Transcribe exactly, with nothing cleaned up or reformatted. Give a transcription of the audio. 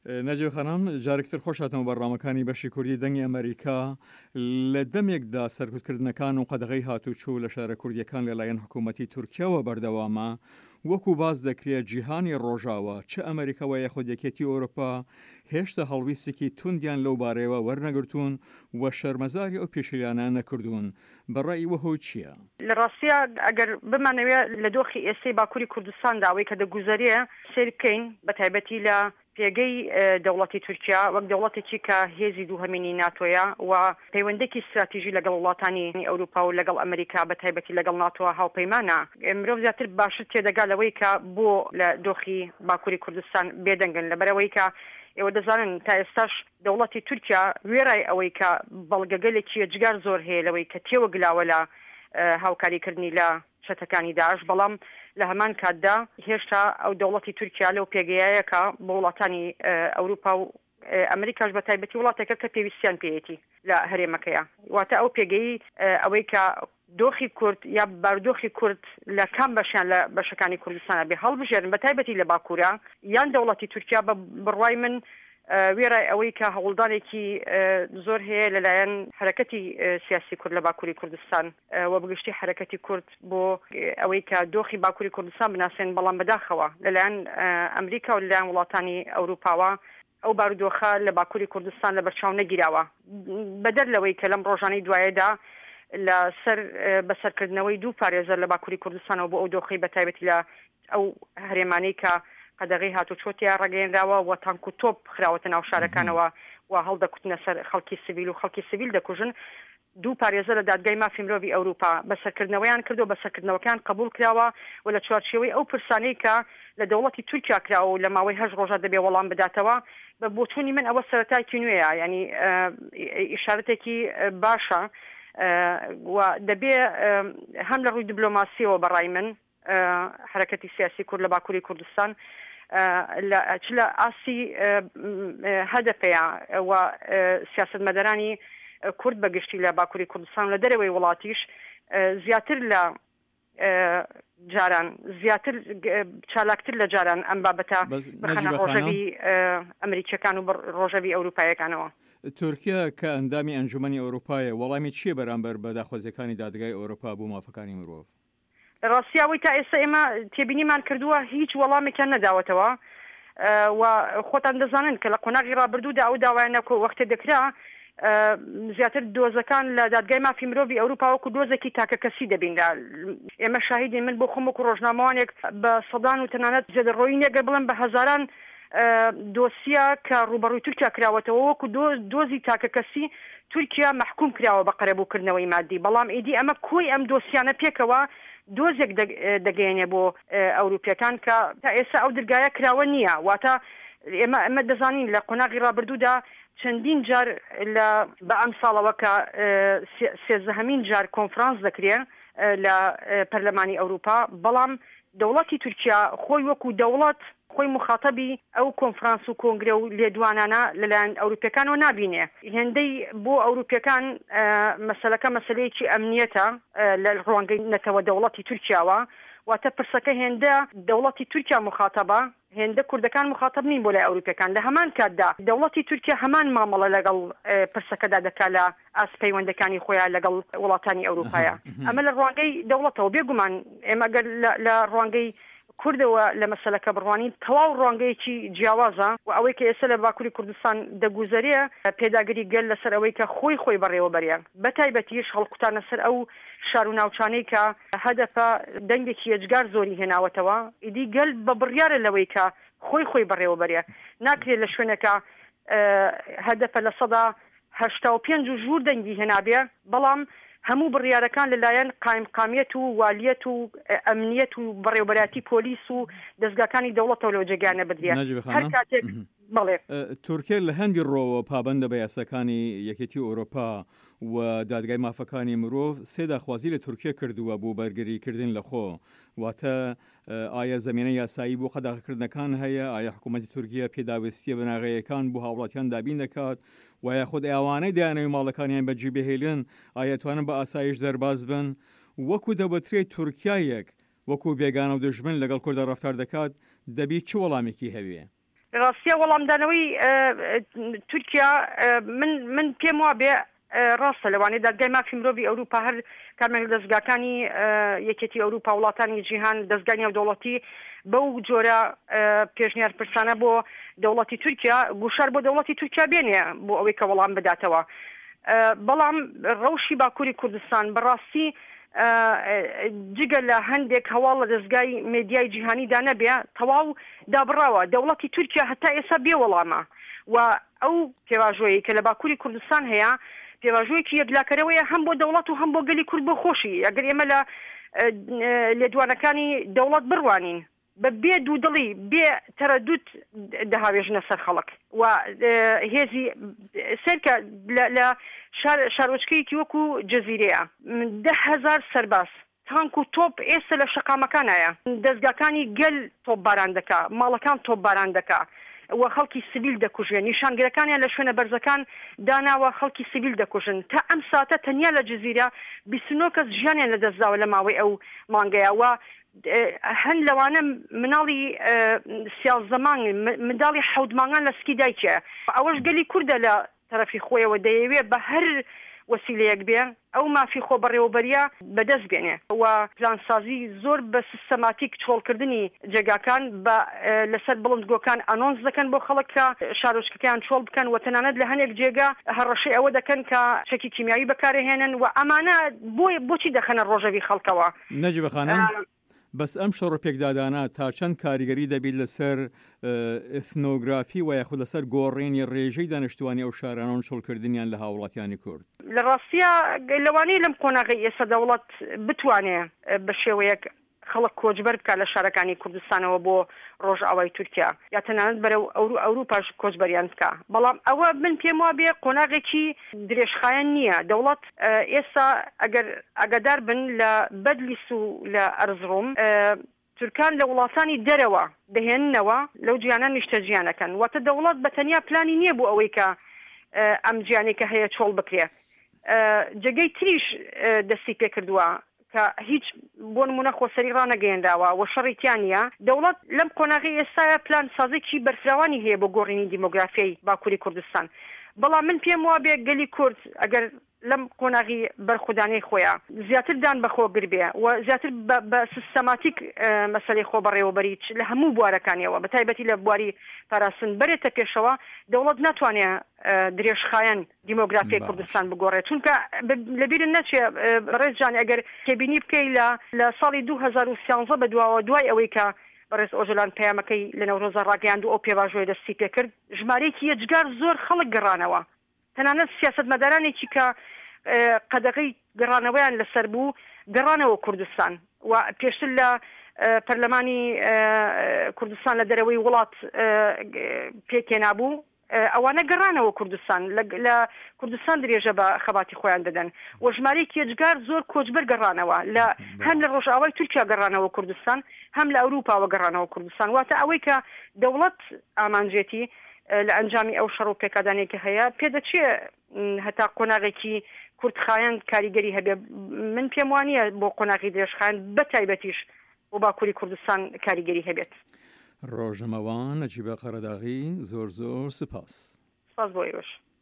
نەجیبە خانم، جارێکی تر خۆش هاتنەوە بەرنامەکانی بەشی کوردی دەنگی ئەمەریکا. لە دەمێکدا سەرکوتکردنەکان و قەدەغەی هاتوچۆ لە شارە کوردیەکان لەلایەن حکوومەتی تورکیاوە بەردەوامە، وەکو باس دەکرێت جیهانی ڕۆژاوا چ ئەمریکا و یاخود یەکێتی ئەوروپا هێشتا هەڵویستێکی توندیان لەو بارەیەوە وەرنەگرتوون و شەرمەزاری ئەو پێشێلیانە نەکردوون. بەڕای ئیوە هۆی چییە؟ لە ڕاستیا ئەگەر بمانەوێ لە دۆخی ئێستەی باکووری کوردستاندا ئەوەی کە دەگوزەرێ سەیر بکەین، بە تایبەتی لە پێگەی دەوڵەتی تورکیا وەک دەوڵەتێکی کە هێزی دووهەمینی ناتۆیە و پەیوەندێکی ستراتیژی لەگەڵ وڵاتانی ئەوروپا و لەگەڵ ئەمریکا بە تایبەتی لەگەڵ ناتۆ هاوپەیمانە، مرۆڤ زیاتر باشتر تێدەگا لەوەی کە بۆ لە دۆخی باکووری کوردستان بێدەنگن، لەبەرئەوەی کە ئێوە دەزانن تا ئێستاش دەوڵەتی تورکیا وێڕای ئەوەی کە بەڵگەگەلێکی یەجگار زۆر هەیە لەوەی کە تێوەگلاوە لە هاوکاریکردنی لە چەتەکانی داعش، بەڵام لە هەمان کاتدا هێشتا ئەو دەوڵەتی تورکیا لەو پێگەیەیە کە بۆ وڵاتانی ئەوروپا و ئەمریکاش بە تایبەتی وڵاتێکە کە پێویستیان پێیەتی لە هەرێمەکەیە، واتە ئەو پێگەی ئەوەی کە دۆخی کورد یا بارودۆخی کورد لە کام بەشیان لە بەشەکانی کوردستانە بێ هەڵبژێرن بە تایبەتی لە باکوورە یان دەوڵەتی تورکیا، بە بڕوای من وێڕای ئەوەی کە هەوڵدانێکی زۆر هەیە لەلایەن حەرەکەتی سیاسی کورد لە باکووری کوردستان و بەگشتی حەرەکەتی کورد بۆ ئەوەی کە دۆخی باکووری کوردستان بناسێن، بەڵام بەداخەوە لەلایەن ئەمریکا و لەلایەن وڵاتانی ئەوروپاوە ئەو بارودۆخە لە باکووری کوردستان لەبەرچاو نەگیراوە، بەدەر لەوەی کە لەم ڕۆژانەی دوایەدا لەسەر بەسەرکردنەوەی دوو پارێزەر لە باکووری کوردستانەوە بۆ ئەو دۆخەی بە تایبەتی لە ئەو هەرێمانەی کە قەدەغەی هاتوچۆ تیا ڕاگەیەنراوە و تانک و تۆپ خراوەتە ناو شارەکانەوە و هەڵدەکوتنە سەر خەڵکی سڤیل و خەڵکی سڤیل دەکوژن، دوو پارێزەر لە دادگای مافی مرۆڤی ئەوروپا بەسەرکردنەوەیان کردو بەسەرکردنەوەکەیان قبوڵ کراوە و لە چوارچێوەی ئەو پرسانەی کە لە دەوڵەتی تورکیا کراوە و لە ماوەی هەشت ڕۆژە دەبێ وەڵام بداتەوە. بە بۆچوونی من ئەوە سەرەتایەکی نوێیە، یانی ئیشارەتێکی باشە و دەبێ هەم لە ڕووی دبلۆماسیەوە بەڕای من حرەکەتی سیاسی کورد لە باکووری کوردستان چ لە ئاستی هەدەپەیە و سیاسەتمەدارانی کورد بەگشتی لە باکووری کوردستان لە دەرەوەی وڵاتیش زیاتر لە جاران زیاتر چالاکتر لە جاران ئەم بابەتە بخەنە ڕۆژەڤی ئەمریکیەکان و ڕۆژەڤی ئەوروپایەکانەوە. تورکیا کە ئەندامی ئەنجومەنی ئەوروپایە وەڵامی چییە بەرامبەر بە داخوازیەکانی دادگای ئەوروپا بۆ مافەکانی مرۆڤ؟ لە ڕاستیا ئەوەی تا ئێستا ئێمە تێبینیمان کردووە هیچ وەڵامێکیان نەداوەتەوە و خۆتان دەزانن کە لە قۆناغی ڕابردوودا ئەو داوایانە وەختێ دەکرا زیاتر دۆزەکان لە دادگای مافی مرۆڤی ئەوروپا وەکو دۆزێکی تاکەکەسی دەبینرا. ئێمە شاهیدین، من بۆ خۆم وەکو ڕۆژنامەوانێک بە سەدان و تەنانەت زێدەڕۆیی نییە گەر بڵێم بە هەزاران دۆسیە کە ڕووبەڕووی تورکیا کراوەتەوە وەکو دۆزی تاکەکەسی تورکیا مەحکوم کراوە بە قەرەبووکردنەوەی مادی، بەڵام ئیدی ئەمە کۆی ئەم دۆسیانە پێکەوە دۆزێک دەگەیەنێ بۆ ئەوروپیەکان کە تا ئێستا ئەو درگایە کراوە نییە. واتە ئێمە ئەمە دەزانین لە قۆناغی ڕابردوودا چەندین جار لە بە ئەمساڵەوە کە سێزدەهەمین جار کۆنفرانس دەکرێ لە پەرلەمانی ئەوروپا، بەڵام دەوڵەتی تورکیا خۆی وەکو دەوڵەت خۆی موخاتەبی ئەو کۆنفرانس و کۆنگرە و لێدوانانە لەلایەن ئەوروپیەکانەوە نابینێ. هێندەی بۆ ئەوروپیەکان مەسەلەکە مەسەلەیەکی ئەمنیەتە لە ڕوانگەی نەتەوە دەوڵەتی تورکیاوە، واتە پرسەکە هێندە دەوڵەتی تورکیا موخاتەبە هێندە کوردەکان موخاتەب نین بۆ لای ئەوروپیەکان. لە هەمان کاتدا دەوڵەتی تورکیا هەمان مامەڵە لەگەڵ پرسەکەدا دەکا لە ئاست پەیوەندەکانی خۆیان لەگەڵ وڵاتانی ئەوروپایە. ئەمە لە ڕوانگەی دەوڵەتەوە. بێگومان ئێمە ئەگەر لە ڕوانگەی کوردەوە لە مەسەلەکە بڕوانین تەواو ڕوانگەیەکی جیاوازە و ئەوەی کە ئێستا لە باکووری کوردستان دەگوزەرێ پێداگری گەل لەسەر ئەوەی کە خۆی خۆی بەڕێوەبەرێ، بە تایبەتیش هەڵکوتانە سەر ئەو شار و ناوچانەی کە هەدەپە دەنگێکی یەجگار زۆری هێناوەتەوە، ئیدی گەل بە بڕیارە لەوەی کە خۆی خۆی بەڕێوەبەرێ. ناکرێ لە شوێنێکا هەدەپە لە سەدا هەشتا و پێنج و ژوور دەنگی هێنابێ، بەڵام هەموو بڕیارەکان لەلایەن قایمقامیەت و والیەت و ئەمنیەت و بەڕێوەبەرایەتی پۆلیس و دەزگاکانی دەوڵەتەوە لەو جێگایانە بدرێ. نەجیبە هەر خانم، کاتێک بەڵێ. تورکیا لە هەندی ڕۆوە پابەندە بە یاساکانی یەکێتی ئەوروپا و دادگای مافەکانی مرۆڤ سێ داخوازی لە تورکیا کردووە بۆ بەرگریکردن لە خۆ، واتە ئایا زەمینە یاسایی بۆ قەدەغەکردنەکان هەیە؟ ئایا حکوومەتی تورکیا پێداویستیە بناغەیەکان بۆ هاوڵاتیان دابین دەکات؟ و یاخود ئەوانەی دەیانەوێت ماڵەکانیان بەجێ بهێلن ئایا توانن بە ئاسایش دەرباز بن؟ وەکو دەوترێت تورکیایەک وەکو بێگانە و دژمن لەگەڵ کوردە ڕەفتار دەکات، دەبی چ وەڵامێکی هەبێ؟ لە ڕاستیا وەڵامدانەوەی تورکیا من من پێم وابێ ڕاستە لەوانەیە دادگای مافی مرۆڤی ئەوروپا هەر کامێک لە دەزگاکانی یەکێتی ئەوروپا وڵاتانی جیهان دەزگای نێودەوڵەتی بەو جۆرە پێشنیار پرسانە بۆ دەوڵەتی تورکیا گوشار بۆ دەوڵەتی تورکیا بێنێ بۆ ئەوەی کە وەڵام بداتەوە. بەڵام ڕەوشی باکووری کوردستان بەڕاستی جگە لە هەندێک هەواڵ لە دەزگای مێدیای جیهانیدا نەبێ تەواو دابڕاوە. دەوڵەتی تورکیا هەتا ئێستا بێ وەڵامە و ئەو پێواژۆیەی کە لە باکووری کوردستان هەیە پێواژۆیەکی یەکلاکەرەوەیە هەم بۆ دەوڵەت و هەم بۆ گەلی کورد بۆ خۆشی. ئەگەر ئێمە لە لێدوانەکانی دەوڵەت بڕوانین بە بێ دوودڵی بێ تەرەدود دەهاوێژنە سەر خەڵک و هێزی سەرکە لە شارۆچکەیەکی وەکو جەزیرەیە دە هەزار سەرباز تانک و تۆپ ئێستا لە شەقامەکانایە، دەزگاکانی گەل تۆپباران دەکا، ماڵەکان تۆپباران دەکا و خەڵکی سڤیل دەکوژێ، نیشانگرەکانیان لە شوێنە بەرزەکان داناوە خەڵکی سڤیل دەکوژن. تا ئەم ساتە تەنیا لە جزیرە بیست و نۆ کەس ژیانیان لەدەستداوە لە ماوەی ئەو مانگەیە و هەن لەوانە مناڵی سیازدە مانگ، منداڵی حەوت مانگان لە سکی دایکیە. ئەوەش گەلی کوردە لە تەرەفی خۆیەوە دەیەوێ بە هەر وەسیلەیەک بێ ئەو مافی خۆبەڕێوەبەریە بەدەست بێنێ و پلانسازی زۆر بە سیستەماتیک چۆڵکردنی جێگاکان بە لەسەر بڵندگۆکان ئەنۆنس دەکەن بۆ خەڵک کە شارۆچکەکەیان چۆڵ بکەن و تەنانەت لە هەنێک جێگا هەڕەشەی ئەوە دەکەن کە چەکی کیمیاوی بەکارهێنن و ئەمانە بۆ بۆچی دەخەنە ڕۆژەڤی خەڵکەوە. نەجیبە خانم، بەس ئەم شەڕ و پێکدادانە تا چەند کاریگەری دەبیت لەسەر ئیثنۆگرافی و یاخود لەسەر گۆڕینی ڕێژەی دانیشتوانی ئەو شارانە و چۆڵکردنیان لە هاوڵاتیانی کورد؟ لە ڕاستیا لەوانەیە لەم قۆناغەی ئێستا دەوڵەت بتوانێ بە شێوەیەک خەڵک کۆچبەر بکات لە شارەکانی کوردستانەوە بۆ ڕۆژئاوای تورکیا یا تەنانەت بەرەو ئەوروپاش کۆچبەریان بکا، بەڵام ئەوە من پێم وابێ قۆناغێکی درێژخایەن نییە. دەوڵەت ئێستا ئەگەر ئاگادار بن لە بەدلیس و لە ئەرزڕوم تورکان لە وڵاتانی دەرەوە دەهێننەوە لەو جیانە نیشتەجیان ئەکەن، واتە دەوڵەت بە تەنیا پلانی نییە بۆ ئەوەی کە ئەم جیانەی کە هەیە چۆڵ بکرێ. جێگەی تریش دەستی پێکردووە کە هیچ بۆ نمونە خۆسەری ڕانەگەیەنراوە و شەڕی تیا نییە. دەوڵەت لەم قۆناغەی ئێستایا پلانسازێکی بەرفراوانی هەیە بۆ گۆڕینی دیمۆگرافیای باکووری کوردستان، بەڵام من پێم وابێ گەلی کورد ئەگەر لەم قۆناغی بەرخودانەی خۆیا زیاتر دان بە خۆگر بێ و زیاتر بە سیستەماتیک مەسەلەی خۆبەڕێوەبەری لە هەموو بوارەکانیەوە بە تایبەتی لە بواری پاراستن بەرێتە پێشەوە، دەوڵەت ناتوانێ درێژخایەن دیمۆگرافیای کوردستان بگۆڕێت. چونکە لەبیرت نەچێ بەڕێز جان ئەگەر تێبینی بکەی لە لە ساڵی دوو هەزار و سیانزە بەدواوە دوای ئەوەی کە بەڕێز ئۆجەلان پەیامەکەی لە نەورۆزا ڕاگەیاند و ئەو پێواژۆیە دەستی پێکرد، ژمارەیەکی یەجگار زۆر خەڵک گەڕانەوە، تەنانەت سیاسەتمەدارانێکی کە قەدەغەی گەڕانەوەیان لەسەر بوو گەڕانەوە کوردستان و پێشتر لە پەرلەمانی کوردستان لە دەرەوەی وڵات پێکهێنابوو، ئەوانە گەڕانەوە کوردستان، لە کوردستان درێژە بە خەباتی خۆیان دەدەن و ژمارەیەکی یەجگار زۆر کۆچبەر گەڕانەوە لە هەم لە ڕۆژئاوای تورکیا گەڕانەوە کوردستان هەم لە ئەوروپاوە گەڕانەوە کوردستان. واتە ئەوەی کە دەوڵەت ئامانجێتی لە ئەنجامی ئەو شەڕ و پێکدادانەی کە هەیە پێدەچێ هەتا قۆناغێکی کورتخایەن کاریگەری هەبێ. من پێم وانییە بۆ قۆناغی درێژخایەن بە تایبەتیش بۆ باکووری کوردستان کاریگەری هەبێت. ڕۆژنامەوان نەجیبە قەرەداغی زۆر زۆر سپاس. سپاس بۆ ئێوەش.